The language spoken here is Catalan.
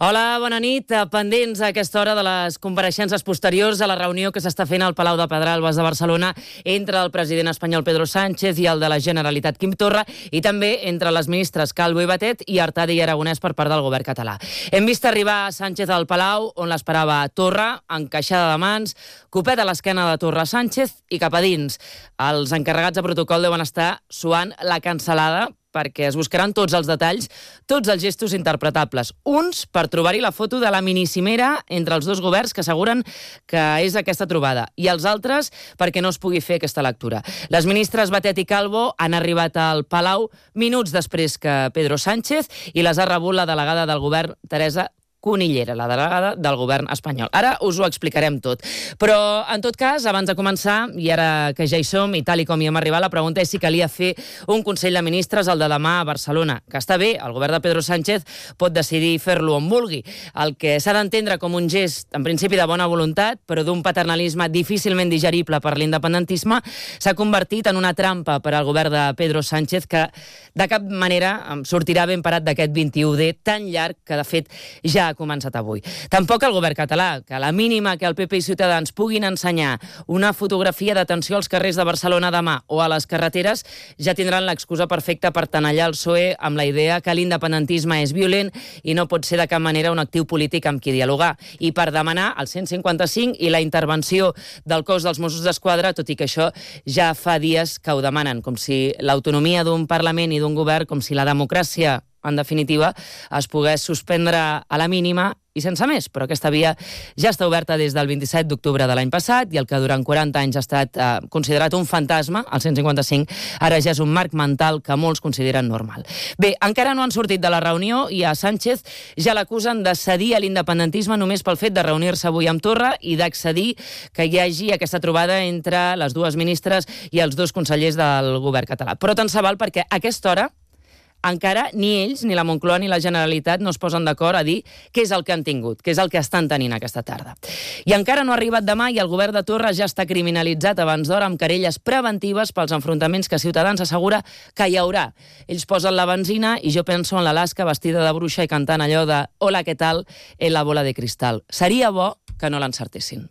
Hola, bona nit. Pendents a aquesta hora de les compareixences posteriors a la reunió que s'està fent al Palau de Pedralbes de Barcelona entre el president espanyol Pedro Sánchez i el de la Generalitat Quim Torra, i també entre les ministres Calvo i Batet i Artadi i Aragonès per part del govern català. Hem vist arribar Sánchez al Palau, on l'esperava Torra, encaixada de mans, copet a l'esquena de Torra Sánchez i cap a dins. Els encarregats de protocol deuen estar suant la cansalada, perquè es buscaran tots els detalls, tots els gestos interpretables. Uns per trobar-hi la foto de la minicimera entre els dos governs que asseguren que és aquesta trobada, i els altres perquè no es pugui fer aquesta lectura. Les ministres Batet i Calvo han arribat al Palau minuts després que Pedro Sánchez i les ha rebut la delegada del govern, Teresa Cunillera, la delegada del govern espanyol. Ara us ho explicarem tot. Però, en tot cas, abans de començar, i ara que ja hi som, i tal i com hi hem arribat, la pregunta és si calia fer un Consell de Ministres, el de demà a Barcelona. Que està bé, el govern de Pedro Sánchez pot decidir fer-lo on vulgui. El que s'ha d'entendre com un gest, en principi de bona voluntat, però d'un paternalisme difícilment digerible per l'independentisme, s'ha convertit en una trampa per al govern de Pedro Sánchez que, de cap manera, sortirà ben parat d'aquest 21D tan llarg que, de fet, ja ha començat avui. Tampoc el govern català, que a la mínima que el PP i Ciutadans puguin ensenyar una fotografia d'atenció als carrers de Barcelona demà o a les carreteres, ja tindran l'excusa perfecta per tenallar el PSOE amb la idea que l'independentisme és violent i no pot ser de cap manera un actiu polític amb qui dialogar, i per demanar el 155 i la intervenció del cos dels Mossos d'Esquadra, tot i que això ja fa dies que ho demanen, com si l'autonomia d'un Parlament i d'un govern, com si la democràcia, en definitiva, es pogués suspendre a la mínima i sense més. Però aquesta via ja està oberta des del 27 d'octubre de l'any passat, i el que durant 40 anys ha estat considerat un fantasma, el 155, ara ja és un marc mental que molts consideren normal. Bé, encara no han sortit de la reunió i a Sánchez ja l'acusen de cedir a l'independentisme només pel fet de reunir-se avui amb Torra i d'accedir que hi hagi aquesta trobada entre les dues ministres i els dos consellers del govern català. Però tant se val, perquè a aquesta hora encara ni ells, ni la Moncloa ni la Generalitat no es posen d'acord a dir què és el que han tingut, què és el que estan tenint aquesta tarda. I encara no ha arribat demà i el govern de Torra ja està criminalitzat abans d'hora amb querelles preventives pels enfrontaments que Ciutadans assegura que hi haurà. Ells posen la benzina i jo penso en l'Alaska vestida de bruixa i cantant allò de «Hola, què tal?» en la bola de cristal. Seria bo que no l'encertessin.